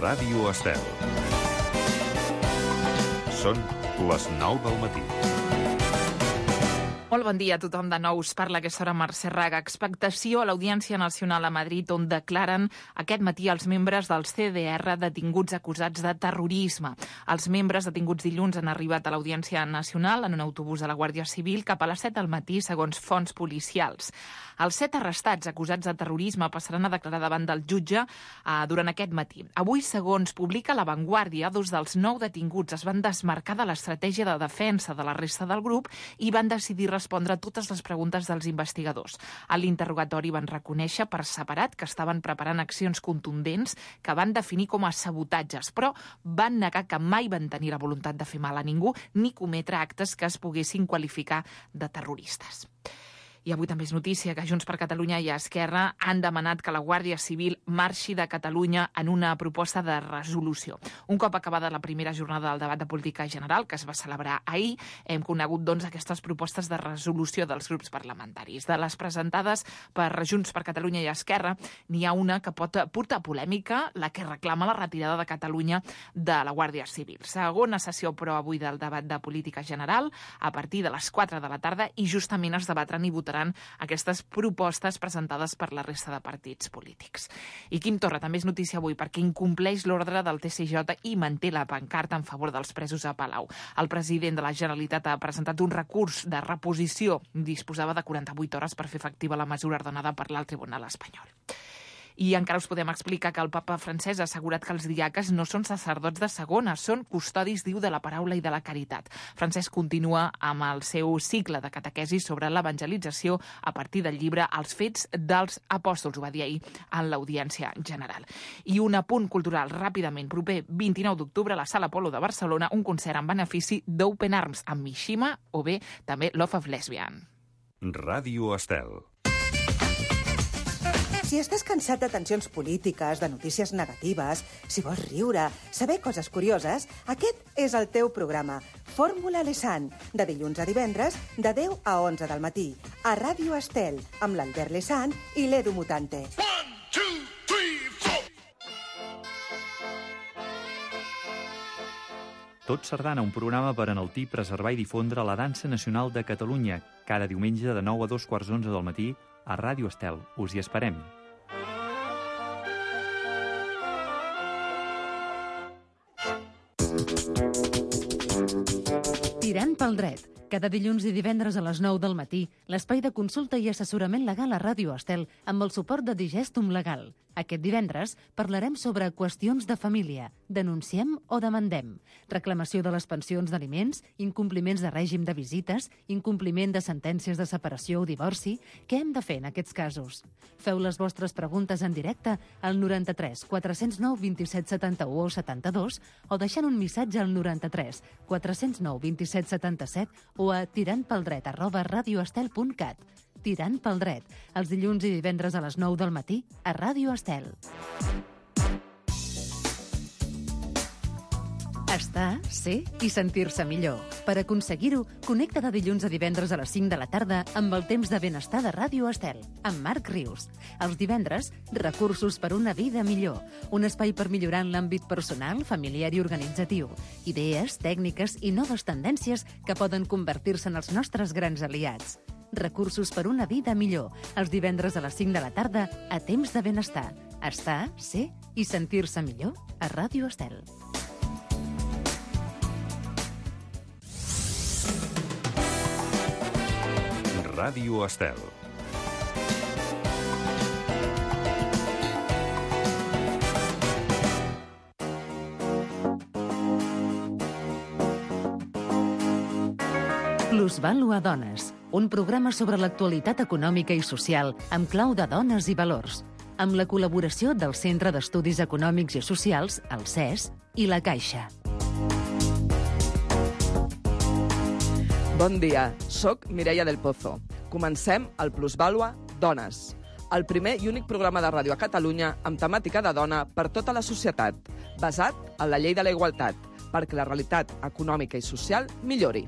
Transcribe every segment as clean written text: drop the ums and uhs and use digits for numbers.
Ràdio Estel. Són les 9 del matí. Molt bon dia a tothom. De nou us parla aquesta hora Mercè Raga. Expectació a l'Audiència Nacional a Madrid, on declaren aquest matí els membres del CDR detinguts acusats de terrorisme. Els membres detinguts dilluns han arribat a l'Audiència Nacional en un autobús de la Guàrdia Civil cap a les 7 del matí, segons fonts policials. Els 7 arrestats acusats de terrorisme passaran a declarar davant del jutge durant aquest matí. Avui, segons publica La Vanguardia, 2 dels 9 detinguts es van desmarcar de l'estratègia de defensa de la resta del grup i van decidir respondre a totes les preguntes dels investigadors. A l'interrogatori van reconèixer per separat que estaven preparant accions contundents que van definir com a sabotatges, però van negar que mai van tenir la voluntat de fer mal a ningú ni cometre actes que es poguessin qualificar de terroristes. I avui també és notícia que Junts per Catalunya i Esquerra han demanat que la Guàrdia Civil marxi de Catalunya en una proposta de resolució. Un cop acabada la primera jornada del debat de política general, que es va celebrar ahir, hem conegut aquestes propostes de resolució dels grups parlamentaris. De les presentades per Junts per Catalunya i Esquerra, n'hi ha una que pot portar polèmica, la que reclama la retirada de Catalunya de la Guàrdia Civil. Segona sessió, però, avui del debat de política general, a partir de les 4 de la tarda, i justament es debatran i votaran aquestes propostes presentades per la resta de partits polítics. I Quim Torra també és notícia avui perquè incompleix l'ordre del TSJ i manté la pancarta en favor dels presos a Palau. El president de la Generalitat ha presentat un recurs de reposició. Disposava de 48 hores per fer efectiva la mesura ordenada per l'alt tribunal espanyol. I encara us podem explicar que el papa francès ha assegurat que els diaques no són sacerdots de segona, són custodis, diu, de la paraula i de la caritat. Francesc continua amb el seu cicle de catequesi sobre l'evangelització a partir del llibre Els fets dels apòstols, ho va dir ahir en l'Audiència General. I un apunt cultural ràpidament. Proper 29 d'octubre a la Sala Apolo de Barcelona, un concert en benefici d'Open Arms amb Mishima o bé també Love of Lesbian. Ràdio Estel. Si estàs cansat de tensions polítiques, de notícies negatives, si vols riure, saber coses curioses, aquest és el teu programa. Fórmula Lesan, de dilluns a divendres, de 10 a 11 del matí, a Ràdio Estel, amb l'Albert Lesan i l'Edu Mutante. 1, 2, 3, 4. Tot Sardana, un programa per enaltir, preservar i difondre la dansa nacional de Catalunya, cada diumenge de 9 a 2:15 del matí a Ràdio Estel. Us hi esperem. Tirant pel dret. Cada dilluns i divendres a les 9 del matí, l'espai de consulta i assessorament legal a Ràdio Estel amb el suport de Digestum Legal. Aquest divendres parlarem sobre qüestions de família, denunciem o demandem, reclamació de les pensions d'aliments, incompliments de règim de visites, incompliment de sentències de separació o divorci. Què hem de fer en aquests casos? Feu les vostres preguntes en directe al 93 409 27 71 o 72 o deixant un missatge al 93 409 27 77 o a tirantpeldret@radioestel.cat. Tirant pel dret, els dilluns i divendres a les 9 del matí a Ràdio Estel. Estar, ser i sentir-se millor. Per aconseguir-ho, connecta de dilluns a divendres a les 5 de la tarda amb el temps de benestar de Ràdio Estel, amb Marc Rius. Els divendres, recursos per una vida millor. Un espai per millorar en l'àmbit personal, familiar i organitzatiu. Idees, tècniques i noves tendències que poden convertir-se en els nostres grans aliats. Recursos per una vida millor. Els divendres a les 5 de la tarda a temps de benestar. Estar, ser i sentir-se millor a Ràdio Estel. Ràdio Estel. Plusvàlua Dones, un programa sobre l'actualitat econòmica i social amb clau de dones i valors, amb la col·laboració del Centre d'Estudis Econòmics i Socials, el CES, i la Caixa. Bon dia, soc Mireia del Pozo. Comencem el Plusvàlua Dones, el primer i únic programa de ràdio a Catalunya amb temàtica de dona per tota la societat, basat en la llei de la igualtat, perquè la realitat econòmica i social millori.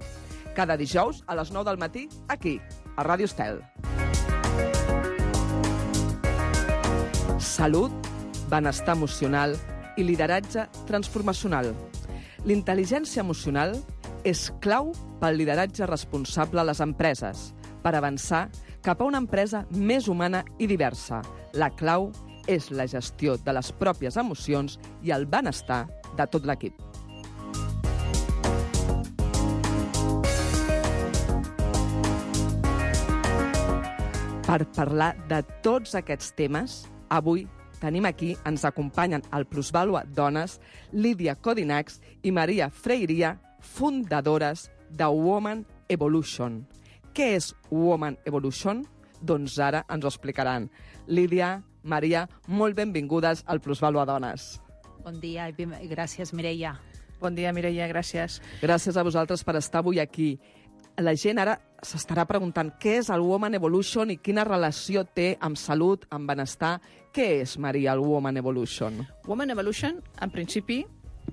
Cada dijous a les 9 del matí, aquí, a Ràdio Estel. Salut, benestar emocional i lideratge transformacional. L'intel·ligència emocional és clau pel lideratge responsable a les empreses, per avançar cap a una empresa més humana i diversa. La clau és la gestió de les pròpies emocions i el benestar de tot l'equip. Per parlar de tots aquests temes, avui tenim aquí, ens acompanyen al Plusvàlua Dones, Lídia Codinacs i Maria Freiria, fundadores de Woman Evolution. Què és Woman Evolution? Doncs ara ens ho explicaran. Lídia, Maria, molt benvingudes al Plusvàlua Dones. Bon dia i gràcies, Mireia. Bon dia, Mireia, gràcies. Gràcies a vosaltres per estar avui aquí. La gent ara s'estarà preguntant què és el Woman Evolution i quina relació té amb salut, amb benestar. Què és, Maria, el Woman Evolution? Woman Evolution, en principi,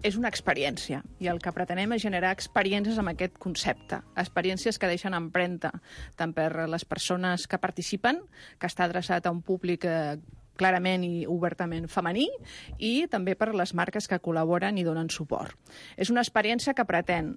és una experiència i el que pretenem és generar experiències amb aquest concepte, experiències que deixen empremta tant per les persones que participen, que està adreçat a un públic clarament i obertament femení, i també per les marques que col·laboren i donen suport. És una experiència que pretén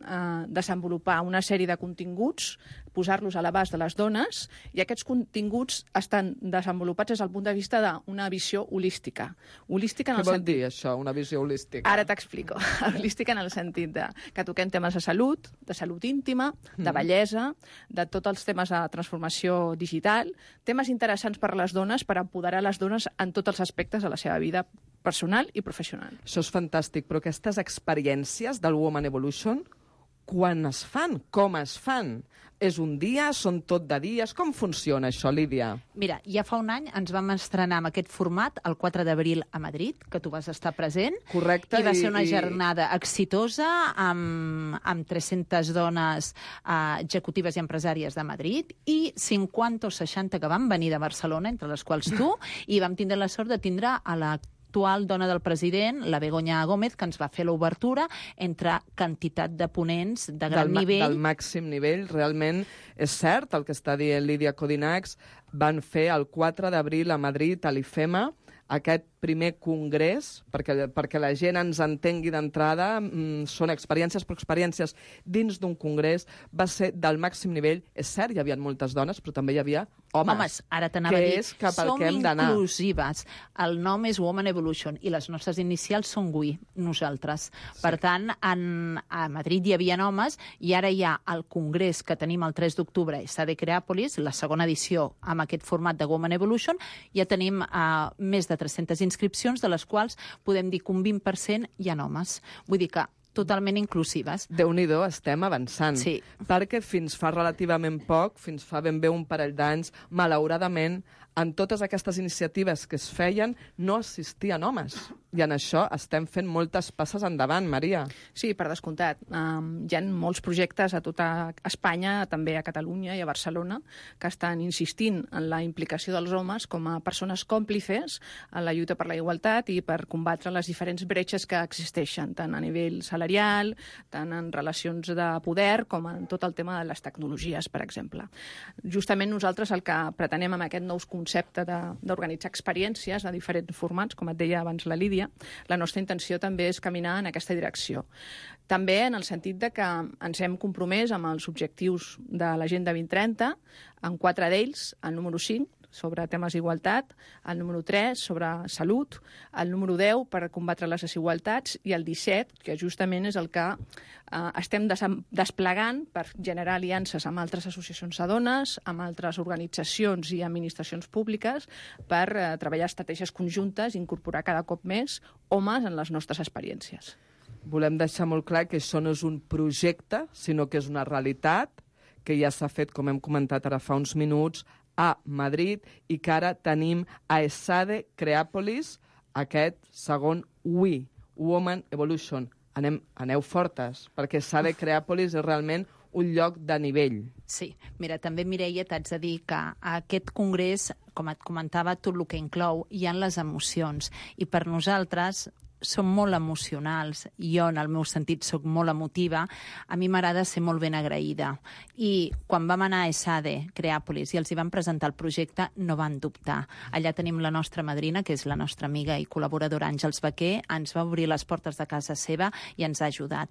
desenvolupar una sèrie de continguts, posar-los a l'abast de les dones, i aquests continguts estan desenvolupats des del punt de vista d'una visió holística. Holística en el Què vol sentit... dir això, una visió holística? Ara t'explico. Holística en el sentit que toquem temes de salut íntima, de bellesa, de tots els temes de transformació digital, temes interessants per a les dones, per empoderar les dones en tots els aspectes de la seva vida personal i professional. Això és fantàstic, però aquestes experiències del Woman Evolution, quan es fan? Com es fan? És un dia? Són tot de dies? Com funciona això, Lídia? Mira, ja fa un any ens vam estrenar amb aquest format el 4 d'abril a Madrid, que tu vas estar present. Correcte. I va ser una jornada exitosa amb 300 dones executives i empresàries de Madrid i 50 o 60 que van venir de Barcelona, entre les quals tu, i vam tindre la sort de tindre a l'actual dona del president, la Begoña Gómez, que ens va fer l'obertura entre quantitat de ponents de gran nivell. Del màxim nivell, realment és cert el que està dient Lídia Codinacs. Van fer el 4 d'abril a Madrid, a l'IFEMA, aquest primer congrés, perquè la gent ens entengui d'entrada, són experiències, però experiències dins d'un congrés, va ser del màxim nivell. És cert, hi havia moltes dones, però també hi havia homes. Homes, ara t'anava a dir, és cap al que hem d'anar. Som inclusives. El nom és Woman Evolution i les nostres inicials són WE, nosaltres. Sí. Per tant, a Madrid hi havia homes i ara hi ha el congrés que tenim el 3 d'octubre, de Creàpolis, la segona edició amb aquest format de Woman Evolution. Ja tenim més de 300 inscripcions, de les quals podem dir que un 20% hi ha homes. Vull dir que totalment inclusives. Déu-n'hi-do, estem avançant. Sí. Perquè fins fa relativament poc, fins fa ben bé un parell d'anys, malauradament, en totes aquestes iniciatives que es feien, no assistien homes. I en això estem fent moltes passes endavant, Maria. Sí, per descomptat. Hi ha molts projectes a tota Espanya, també a Catalunya i a Barcelona, que estan insistint en la implicació dels homes com a persones còmplices en la lluita per la igualtat i per combatre les diferents bretxes que existeixen, tant a nivell salarial, tant en relacions de poder, com en tot el tema de les tecnologies, per exemple. Justament nosaltres el que pretenem amb aquest nou concepte d'organitzar experiències de diferents formats, com et deia abans la Lídia, la nostra intenció també és caminar en aquesta direcció. També en el sentit de que ens hem compromès amb els objectius de l'Agenda 2030, en 4 d'ells, el número 5, sobre temes d'igualtat, el número 3 sobre salut, el número 10 per combatre les desigualtats i el 17, que justament és el que estem desplegant per generar aliances amb altres associacions de dones, amb altres organitzacions i administracions públiques per treballar estratègies conjuntes i incorporar cada cop més homes en les nostres experiències. Volem deixar molt clar que això no és un projecte, sinó que és una realitat que ja s'ha fet, com hem comentat ara fa uns minuts, a Madrid, i que ara tenim a ESADE Creàpolis, aquest segon WE, Woman Evolution. Aneu fortes, perquè ESADE Creàpolis és realment un lloc de nivell. Sí, mira, també, Mireia, t'haig de dir que aquest congrés, com et comentava, tot el que inclou, hi ha les emocions. I per nosaltres, són molt emocionals. Jo, en el meu sentit, sóc molt emotiva. A mi m'agrada ser molt ben agraïda. I quan vam anar a ESADE, Creàpolis, i els hi vam presentar el projecte, no van dubtar. Allà tenim la nostra madrina, que és la nostra amiga i col·laboradora Àngels Baquer, ens va obrir les portes de casa seva i ens ha ajudat.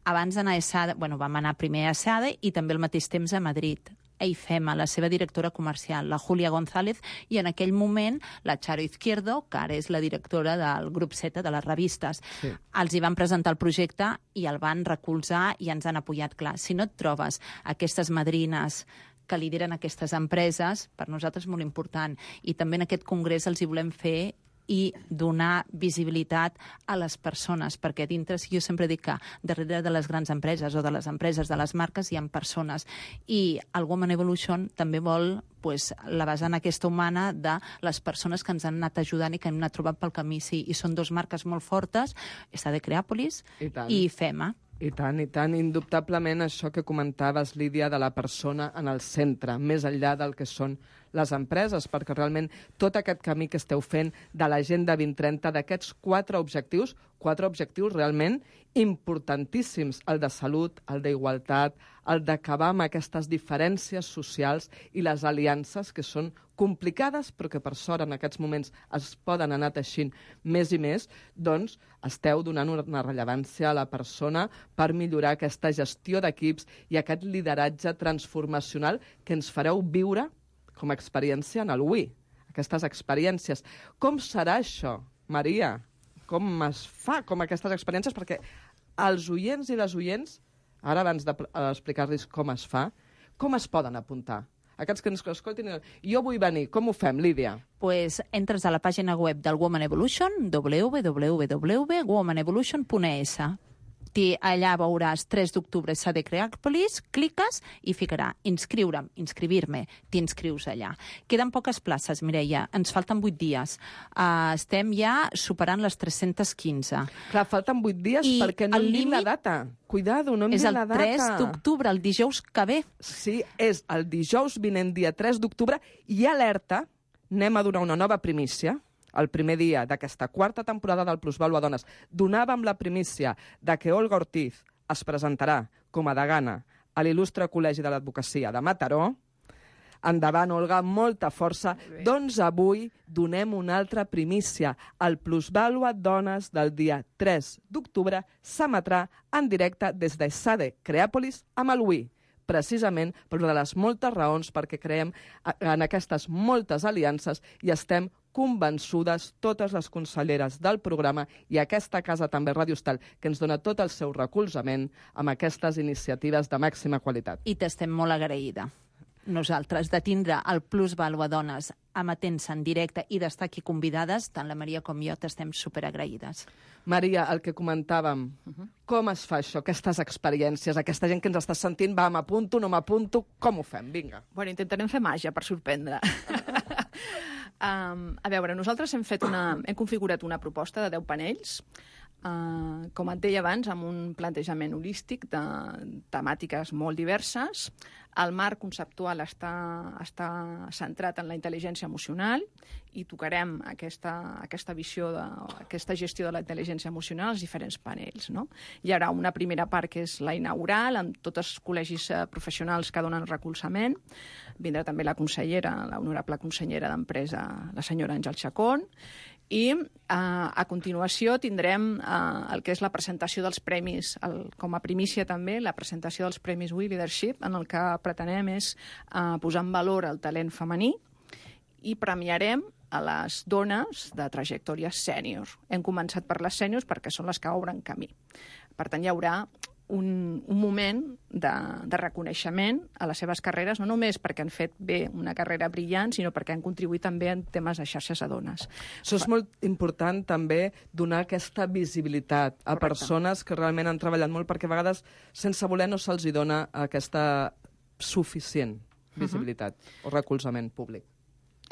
Abans d'anar a ESADE, vam anar primer a ESADE i també al mateix temps a Madrid. A IFEMA, la seva directora comercial, la Júlia González, i en aquell moment la Charo Izquierdo, que ara és la directora del grup Z, de les revistes. Sí. Els hi van presentar el projecte i el van recolzar i ens han apoyat. Clar, si no et trobes aquestes madrines que lideren aquestes empreses, per nosaltres és molt important. I també en aquest congrés els hi volem fer i donar visibilitat a les persones, perquè dintre, jo sempre dic que darrere de les grans empreses o de les empreses, de les marques, hi ha persones. I el Women Evolution també vol la vessant aquesta humana de les persones que ens han anat ajudant i que hem anat trobant pel camí. Sí, i són dues marques molt fortes, ESADE Creàpolis i FEMA. I tant, indubtablement això que comentaves, Lídia, de la persona en el centre, més enllà del que són les empreses, perquè realment tot aquest camí que esteu fent de l'Agenda 2030, d'aquests 4 objectius realment importantíssims, el de salut, el d'igualtat, el d'acabar amb aquestes diferències socials i les aliances que són complicades, però que per sort en aquests moments es poden anar teixint més i més, doncs esteu donant una rellevància a la persona per millorar aquesta gestió d'equips i aquest lideratge transformacional que ens fareu viure com a experiència en el WI. Aquestes experiències. Com serà això, Maria? Com es fa com aquestes experiències? Perquè els oients i les oients, ara abans d'explicar-los com es fa, com es poden apuntar? Aquests que ens escoltin, jo vull venir, com ho fem, Lídia? Pues entres a la pàgina web del Women Evolution, www.womanevolution.es. Allà veuràs 3 d'octubre ESADE Creàpolis, cliques i ficarà inscriure'm, inscribir-me, t'inscrius allà. Queden poques places, Mireia, ens falten 8 dies. Estem ja superant les 315. Clar, falten 8 dies perquè no hem dit la data. Cuidado, no hem dit la data. És el 3 d'octubre, el dijous que ve. Sí, és el dijous vinent, dia 3 d'octubre, i alerta, anem a donar una nova primícia. El primer dia d'aquesta 4ª temporada del Plusvàlua Dones, donàvem la primícia de que Olga Ortiz es presentarà com a degana a l'il·lustre Col·legi de l'Advocacia de Mataró. Endavant, Olga, molta força. Doncs avui donem una altra primícia. El Plusvàlua Dones del dia 3 d'octubre s'emetrà en directe des de ESADE Creàpolis amb el WI, precisament per una de les moltes raons perquè creiem en aquestes moltes aliances i estem convençudes totes les conselleres del programa i aquesta casa també Ràdio Estel, que ens dona tot el seu recolzament amb aquestes iniciatives de màxima qualitat. I t'estem molt agraïda, nosaltres, de tindre el Plusvàlua Dones emetent-se en directe i d'estar aquí convidades, tant la Maria com jo t'estem superagraïdes. Maria, el que comentàvem, com es fa això, aquestes experiències, aquesta gent que ens està sentint, va, m'apunto, no m'apunto, com ho fem? Vinga. Bueno, intentarem fer màgia per sorprendre. A veure, nosaltres hem configurat una proposta de 10 panells, com et deia abans, amb un plantejament holístic de temàtiques molt diverses. El marc conceptual està centrat en la intel·ligència emocional i tocarem aquesta visió, aquesta gestió de la intel·ligència emocional als diferents panells. No? Hi haurà una primera part que és la inaugural, amb tots els col·legis professionals que donen recolzament. Vindrà també la consellera, la honorable consellera d'Empresa, la senyora Àngel Chacón, i a continuació tindrem el que és la presentació dels premis, com a primícia també, la presentació dels premis We Leadership, en el que pretenem és posar en valor el talent femení i premiarem a les dones de trajectòria sènior. Hem començat per les sèniors perquè són les que obren camí. Per tant, hi haurà un moment de reconeixement a les seves carreres, no només perquè han fet bé una carrera brillant, sinó perquè han contribuït també en temes de xarxes de dones. Això és molt important també donar aquesta visibilitat a persones que realment han treballat molt, perquè a vegades sense voler no se'ls dona aquesta suficient visibilitat o recolzament públic.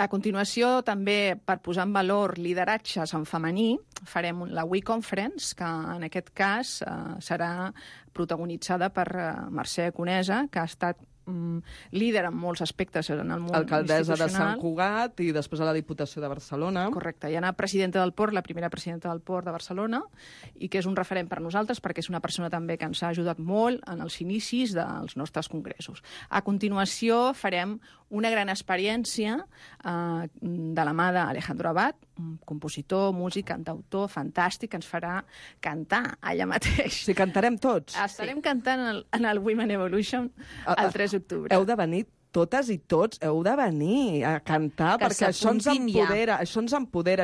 A continuació, també, per posar en valor lideratges en femení, farem la We Conference, que en aquest cas serà protagonitzada per Mercè Conesa, que ha estat líder en molts aspectes en el món Alcaldessa de institucional. Sant Cugat i després a la Diputació de Barcelona. Correcte, i Anna, presidenta del Port, la primera presidenta del Port de Barcelona, i que és un referent per nosaltres perquè és una persona també que ens ha ajudat molt en els inicis dels nostres congressos. A continuació farem una gran experiència de la mà d'Alejandro Abad, un compositor, músic, cantautor fantàstic, que ens farà cantar allà mateix. Sí, cantarem tots. Estarem cantant en el Women Evolution el 3 d'octubre. Heu de venir totes i tots, heu de venir a cantar, Que perquè això ens s'apuntin ja. empodera,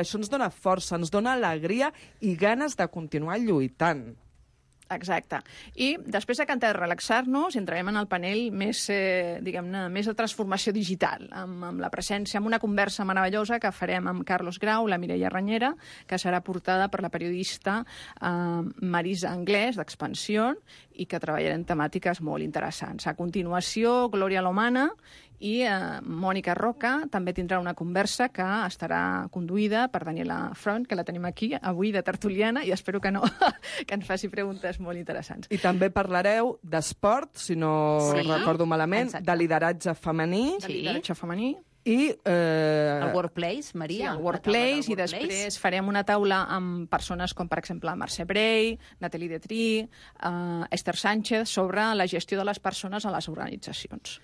això ens dona força, ens dona alegria i ganes de continuar lluitant. Exacte. I després de cantar i relaxar-nos, entrarem en el panell més, diguem-ne, més de transformació digital, amb la presència, amb una conversa meravellosa que farem amb Carlos Grau, la Mireia Ranyera, que serà portada per la periodista Marisa Anglès, d'Expansió, i que treballarem temàtiques molt interessants. A continuació, Glòria Lomana i Mònica Roca també tindrà una conversa que estarà conduïda per Daniela Front, que la tenim aquí avui de tertuliana, i espero que no que ens faci preguntes molt interessants. I també parlareu d'esport, si no recordo malament, exacte. de lideratge femení De lideratge femení. i... El Workplace, Sí, Maria. el Workplace, i després farem una taula amb persones com, per exemple, Mercè Brey, Nathalie Detry, Esther Sánchez, sobre la gestió de les persones a les organitzacions.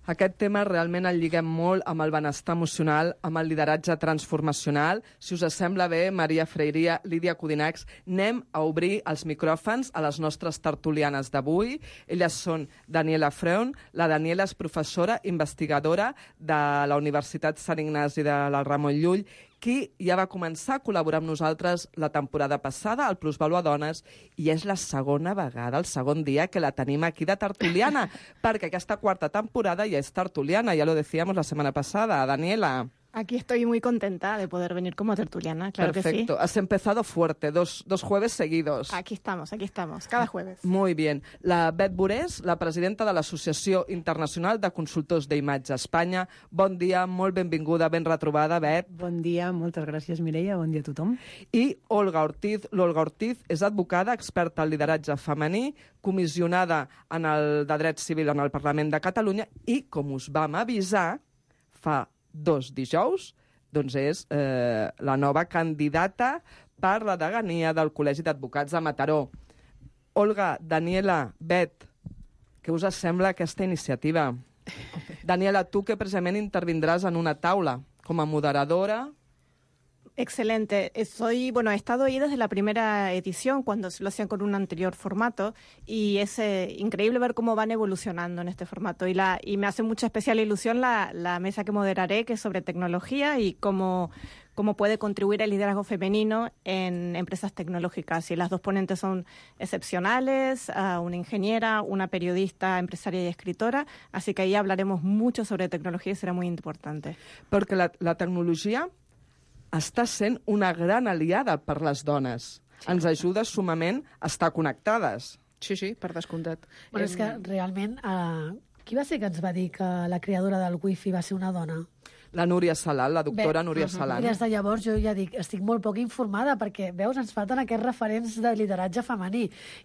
Aquest tema realment el lliguem molt amb el benestar emocional, amb el lideratge transformacional. Si us sembla bé, Maria Freiria, Lídia Codinacs, anem a obrir els micròfons a les nostres tertulianes d'avui. Elles són Daniela Freun. La Daniela és professora investigadora de la Universitat Sant Ignasi de la Ramon Llull, qui ja va començar a col·laborar amb nosaltres la temporada passada al Plusvalua Dones, i és la segona vegada, el segon dia que la tenim aquí de tertuliana, perquè aquesta quarta temporada ja és tertuliana, ya lo decíamos la semana pasada. Daniela. Aquí estoy muy contenta de poder venir como tertuliana, claro Perfecto. que sí. Has empezado fuerte, dos jueves seguidos. Aquí estamos, cada jueves. Muy bien. La Bet Burés, la presidenta de l'Associació Internacional de Consultors d'Imatge a Espanya. Bon dia, molt benvinguda, ben retrobada, Bet. Bon dia, moltes gràcies, Mireia, bon dia a tothom. I Olga Ortiz. L'Olga Ortiz és advocada, experta en lideratge femení, comissionada en el de dret civil en el Parlament de Catalunya i, com us vam avisar fa 2 dijous, doncs és la nova candidata per la degania del Col·legi d'Advocats de Mataró. Olga, Daniela, Bet, què us sembla aquesta iniciativa? Daniela, tu que precisament intervindràs en una taula com a moderadora. Excelente. He estado ahí desde la primera edición, cuando lo hacían con un anterior formato, y es increíble ver cómo van evolucionando en este formato. Y me hace mucha especial ilusión la mesa que moderaré, que es sobre tecnología y cómo puede contribuir el liderazgo femenino en empresas tecnológicas. Y las dos ponentes son excepcionales, una ingeniera, una periodista, empresaria y escritora, así que ahí hablaremos mucho sobre tecnología y será muy importante. Perquè la tecnologia està sent una gran aliada per les dones. Sí. Ens ajuda sumament a estar connectades. Sí, per descomptat. Bueno, és que realment, qui va ser que ens va dir que la creadora del Wi-Fi va ser una dona? La Núria Salant, la doctora Núria Salant. I des de llavors jo ja dic, estic molt poc informada perquè, veus, ens falten aquests referents de lideratge femení.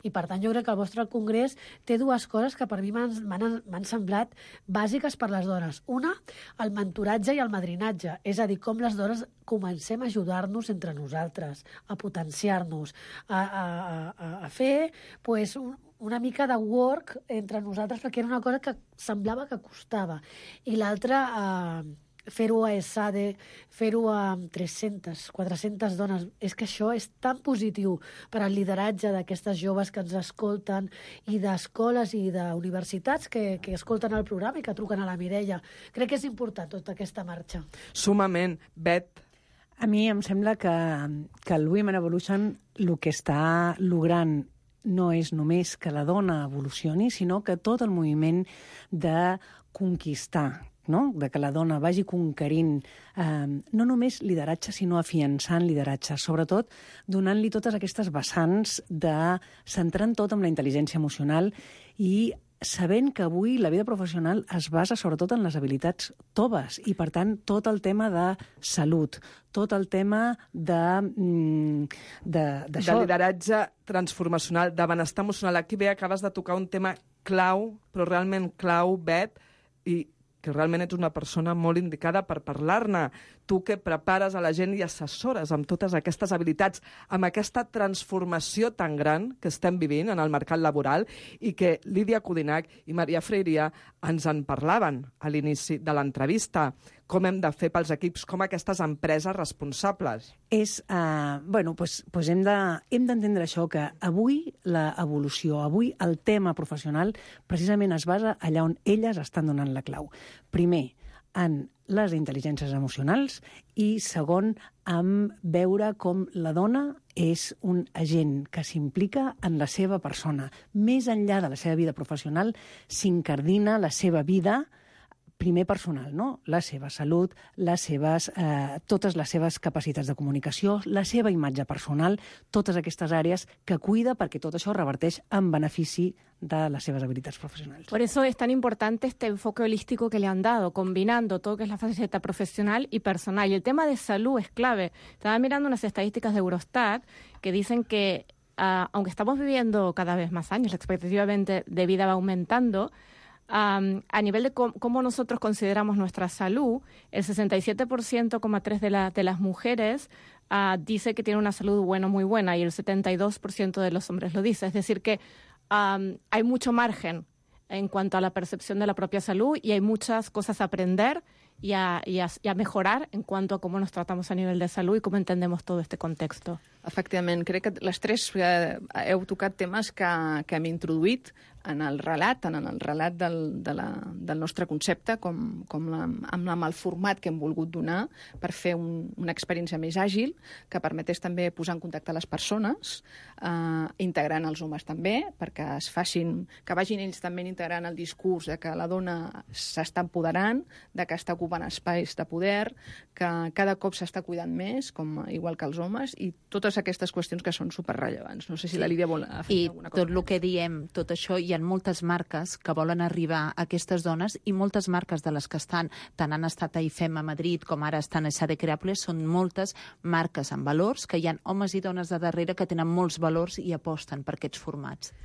I per tant jo crec que el vostre congrés té 2 coses que per mi m'han semblat bàsiques per les dones. Una, el mentoratge i el madrinatge. És a dir, com les dones comencem a ajudar-nos entre nosaltres, a potenciar-nos, a fer pues, una mica de work entre nosaltres, perquè era una cosa que semblava que costava. I l'altra, fer-ho a ESADE, fer-ho amb 300, 400 dones. És que això és tan positiu per al lideratge d'aquestes joves que ens escolten i d'escoles i d'universitats que escolten el programa i que truquen a la Mireia. Crec que és important tota aquesta marxa. Sumament. Bet. A mi em sembla que el Women Evolution el que està logrant no és només que la dona evolucioni, sinó que tot el moviment de conquistar, no? De que la dona vagi conquerint no només lideratge, sinó afiançant lideratge, sobretot donant-li totes aquestes vessants de centrant tot amb la intel·ligència emocional i sabent que avui la vida professional es basa sobretot en les habilitats toves i, per tant, tot el tema de salut, tot el tema de lideratge transformacional, de benestar emocional. Aquí bé acabes de tocar un tema clau, però realment clau, Bet, i que realment ets una persona molt indicada per parlar-ne. Tu que prepares a la gent i assessores amb totes aquestes habilitats, amb aquesta transformació tan gran que estem vivint en el mercat laboral i que Lídia Codinac i Maria Freiria ens en parlaven a l'inici de l'entrevista. Com hem de fer pels equips, com aquestes empreses responsables? Hem d'entendre això, que avui l'evolució, avui el tema professional precisament es basa allà on elles estan donant la clau. Primer, en les intel·ligències emocionals i, segon, en veure com la dona és un agent que s'implica en la seva persona. Més enllà de la seva vida professional, s'incardina la seva vida primer personal, no? La seva salut, totes les seves capacitats de comunicació, la seva imatge personal, totes aquestes àrees que cuida perquè tot això reverteix en benefici de las seves habilidades profesionales. Por eso es tan importante este enfoque holístico que le han dado, combinando todo lo que es la faceta profesional y personal. Y el tema de salud es clave. Estaba mirando unas estadísticas de Eurostat que dicen que, aunque estamos viviendo cada vez más años, la expectativa de vida va aumentando, a nivel de cómo nosotros consideramos nuestra salud, el 67,3% de las mujeres dice que tiene una salud muy buena y el 72% de los hombres lo dice. Es decir, que hay mucho margen en cuanto a la percepción de la propia salud y hay muchas cosas a aprender y a mejorar en cuanto a cómo nos tratamos a nivel de salud y cómo entendemos todo este contexto. Efectivament, crec que les tres heu tocat temes que hem introduït en el relat del nostre concepte, amb el format que hem volgut donar per fer una experiència més àgil, que permetés també posar en contacte les persones, integrant els homes també, perquè que vagin ells també integrant el discurs de que la dona s'està empoderant, de que està ocupant espais de poder, que cada cop s'està cuidant més, igual que els homes, i totes aquestes qüestions que són superrellevants. No sé si la Lídia vol afegir alguna cosa. I tot el que diem, tot això, hi ha moltes marques que volen arribar a aquestes dones i moltes marques de les que estan, tant han estat a IFEM a Madrid com ara estan a Sade Creables, són moltes marques amb valors, que hi ha homes i dones de darrere que tenen molts valors i aposten per aquests formats.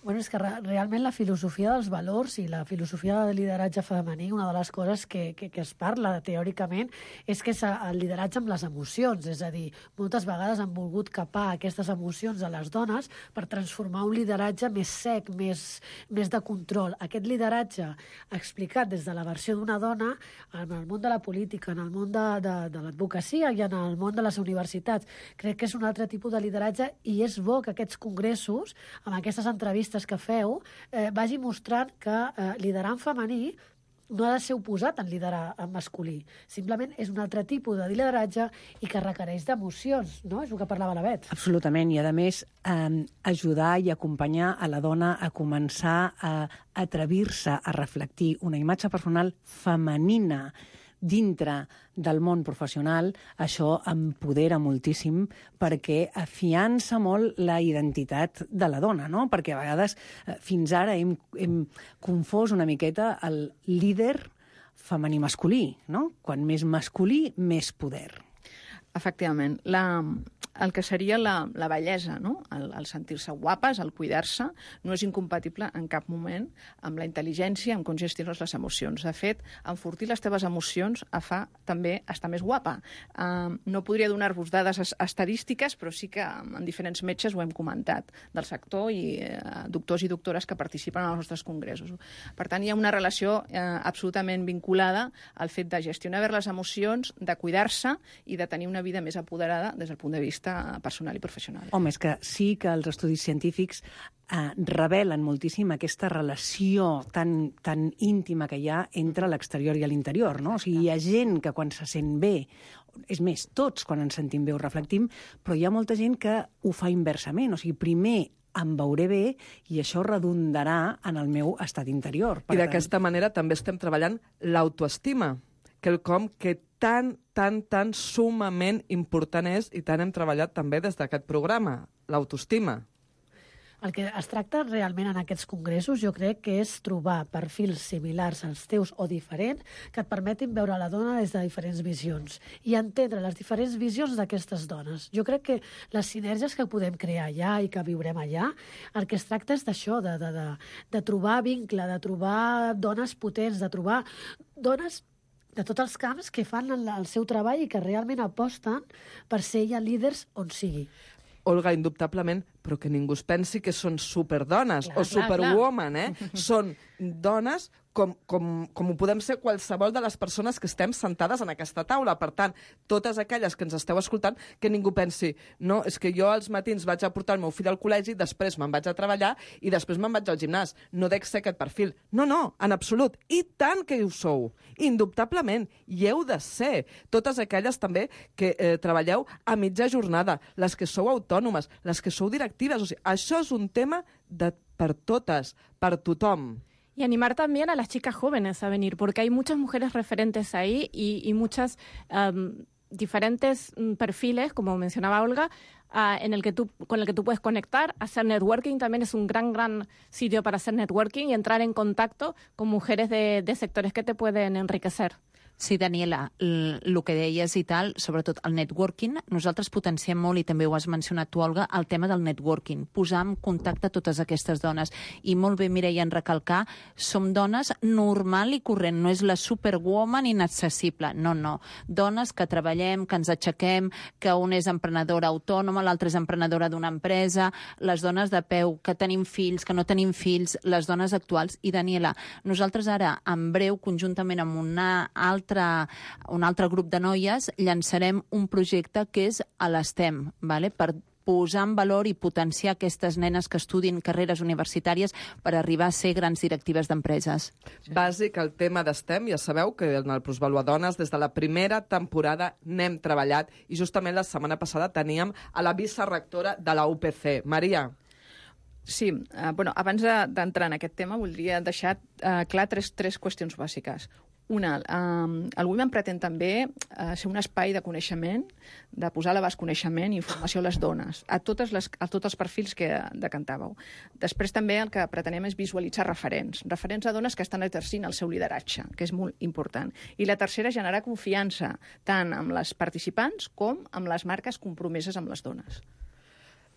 Bueno, és que realment la filosofia dels valors i la filosofia del lideratge femení, una de les coses que es parla teòricament és que és el lideratge amb les emocions, és a dir, moltes vegades han volgut capar aquestes emocions a les dones per transformar un lideratge més sec, més de control. Aquest lideratge explicat des de la versió d'una dona en el món de la política, en el món de l'advocacia i en el món de les universitats, crec que és un altre tipus de lideratge i és bo que aquests congressos, amb aquestes entrevistes que feu, vagi mostrant que liderar en femení no ha de ser oposat en liderar en masculí. Simplement és un altre tipus de lideratge i que requereix d'emocions, no? És el que parlava la Bet. Absolutament, i a més ajudar i acompanyar a la dona a començar a atrevir-se a reflectir una imatge personal femenina dintre del món professional. Això empodera moltíssim perquè afiança molt la identitat de la dona, no? Perquè a vegades fins ara hem confós una miqueta el líder femení-masculí, no? Quan més masculí, més poder. Efectivament. El que seria la bellesa, no? El sentir-se guapes, el cuidar-se, no és incompatible en cap moment amb la intel·ligència, amb com gestiones les emocions. De fet, enfortir les teves emocions fa també estar més guapa. No podria donar-vos dades estadístiques, però sí que en diferents metges ho hem comentat, del sector i doctors i doctores que participen en els nostres congressos. Per tant, hi ha una relació absolutament vinculada al fet de gestionar bé les emocions, de cuidar-se i de tenir una vida més apoderada des del punt de vista personal i professional. Home, és que sí que els estudis científics revelen moltíssim aquesta relació tan íntima que hi ha entre l'exterior i l'interior, no? O sigui, hi ha gent que quan se sent bé, és més, tots quan ens sentim bé ho reflectim, però hi ha molta gent que ho fa inversament, o sigui, primer em veuré bé i això redundarà en el meu estat interior. I d'aquesta manera també estem treballant l'autoestima, quelcom que tan sumament important és i tant hem treballat també des d'aquest programa, l'autoestima. El que es tracta realment en aquests congressos, jo crec que és trobar perfils similars als teus o diferents que et permetin veure la dona des de diferents visions i entendre les diferents visions d'aquestes dones. Jo crec que les sinergies que podem crear allà i que viurem allà, el que es tracta és d'això, de trobar vincle, de trobar dones potents, de trobar dones de tots els camps que fan el seu treball i que realment aposten per ser ja líders on sigui. Olga, indubtablement, però que ningú es pensi que són superdones o superwoman, Són dones com ho podem ser qualsevol de les persones que estem sentades en aquesta taula. Per tant, totes aquelles que ens esteu escoltant, que ningú pensi, no, és que jo als matins vaig a portar el meu fill al col·legi, després me'n vaig a treballar i després me'n vaig al gimnàs. No dec ser aquest perfil. No, en absolut. I tant que ho sou. Indubtablement. I heu de ser. Totes aquelles també que treballeu a mitja jornada, les que sou autònomes, les que sou directives. O sigui, això és un tema per totes, per tothom. Y animar también a las chicas jóvenes a venir, porque hay muchas mujeres referentes ahí y muchas diferentes perfiles, como mencionaba Olga, con el que tú puedes conectar. Hacer networking también es un gran sitio para hacer networking y entrar en contacto con mujeres de sectores que te pueden enriquecer. Sí, Daniela, el que deies i tal, sobretot el networking, nosaltres potenciem molt, i també ho has mencionat tu, Olga, el tema del networking, posar en contacte totes aquestes dones. I molt bé, Mireia, en recalcar, som dones normal i corrent, no és la superwoman inaccessible, no. Dones que treballem, que ens aixequem, que un és emprenedora autònoma, l'altra és emprenedora d'una empresa, les dones de peu, que tenim fills, que no tenim fills, les dones actuals. I, Daniela, nosaltres ara, en breu, conjuntament amb un altre grup de noies, llançarem un projecte que és a l'STEM, per posar en valor i potenciar aquestes nenes que estudien carreres universitàries per arribar a ser grans directives d'empreses. Bàsic, el tema d'STEM, ja sabeu que en el Plusvalua Dones, des de la primera temporada n'hem treballat, i justament la setmana passada teníem a la vicerectora de la UPC. Maria. Sí, abans d'entrar en aquest tema voldria deixar clar tres qüestions bàsiques. Una, el Women pretén també ser un espai de coneixement, de posar a l'abast coneixement i informació a les dones, a tots els perfils que decantàveu. Després també el que pretenem és visualitzar referents a dones que estan exercint el seu lideratge, que és molt important. I la tercera, generar confiança tant amb les participants com amb les marques compromeses amb les dones.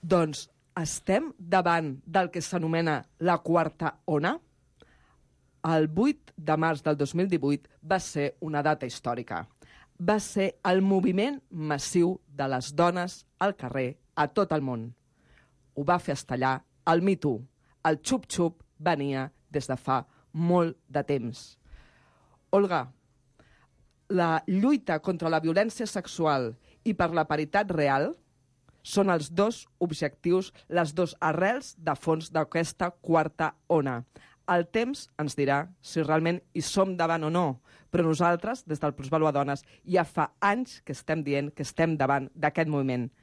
Doncs estem davant del que s'anomena la quarta ona. El 8 de març del 2018 va ser una data històrica. Va ser el moviment massiu de les dones al carrer a tot el món. Ho va fer estallar el Me Too. El xup-xup venia des de fa molt de temps. Olga, la lluita contra la violència sexual i per la paritat real són els dos objectius, les dos arrels de fons d'aquesta quarta ona. El temps ens dirà si realment hi som davant o no, però nosaltres, des del Plusvalua Dones, ja fa anys que estem dient que estem davant d'aquest moviment.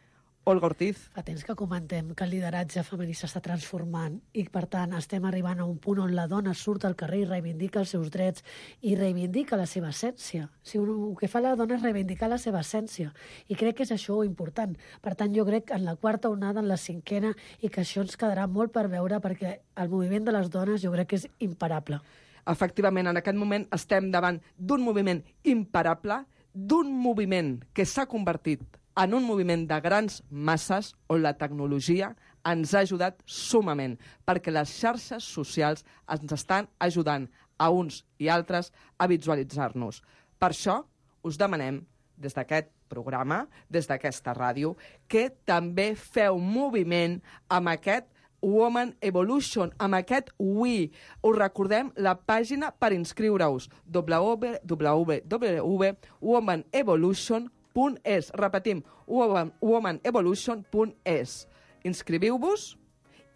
Olga Ortiz. Fa temps que comentem que el lideratge femení s'està transformant i, per tant, estem arribant a un punt on la dona surt al carrer i reivindica els seus drets i reivindica la seva essència. El que fa la dona és reivindicar la seva essència i crec que és això important. Per tant, jo crec que en la quarta onada, en la cinquena, i que això ens quedarà molt per veure perquè el moviment de les dones jo crec que és imparable. Efectivament, en aquest moment estem davant d'un moviment imparable, d'un moviment que s'ha convertit en un moviment de grans masses on la tecnologia ens ha ajudat sumament, perquè les xarxes socials ens estan ajudant a uns i altres a visualitzar-nos. Per això us demanem, des d'aquest programa, des d'aquesta ràdio, que també feu moviment amb aquest Woman Evolution, amb aquest WE. Us recordem la pàgina per inscriure-us, www.womanevolution.com. Repetim, womanevolution.es. Inscriviu-vos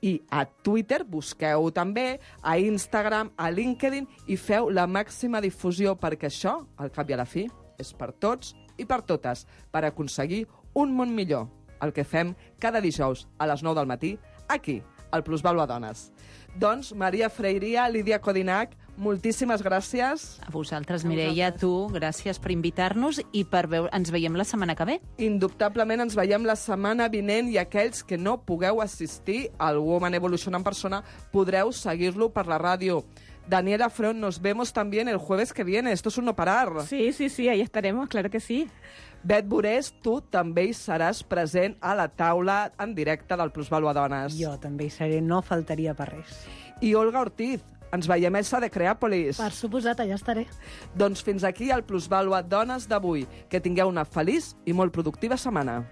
i a Twitter busqueu també, a Instagram, a LinkedIn i feu la màxima difusió perquè això, al cap i a la fi, és per tots i per totes, per aconseguir un món millor. El que fem cada dijous a les 9 del matí, aquí, al Plusvalua Dones. Doncs, Maria Freiria, Lídia Codinac, moltíssimes gràcies. A vosaltres, Mireia, a tu, gràcies per invitar-nos i per ens veiem la setmana que ve. Indubtablement ens veiem la setmana vinent i aquells que no pugueu assistir al Woman Evolution en persona podreu seguir-lo per la ràdio. Daniela Front, nos vemos también el jueves que viene. Esto es un no parar. Sí, ahí estaremos, claro que sí. Bet Burés, tu també hi seràs present a la taula en directe del Plusvàlua Dones. Jo també hi seré, no faltaria per res. I Olga Ortiz, ens veiem Elsa de Creàpolis. Per suposat, allà estaré. Doncs fins aquí el Plusvàlua Dones d'avui. Que tingueu una feliç i molt productiva setmana.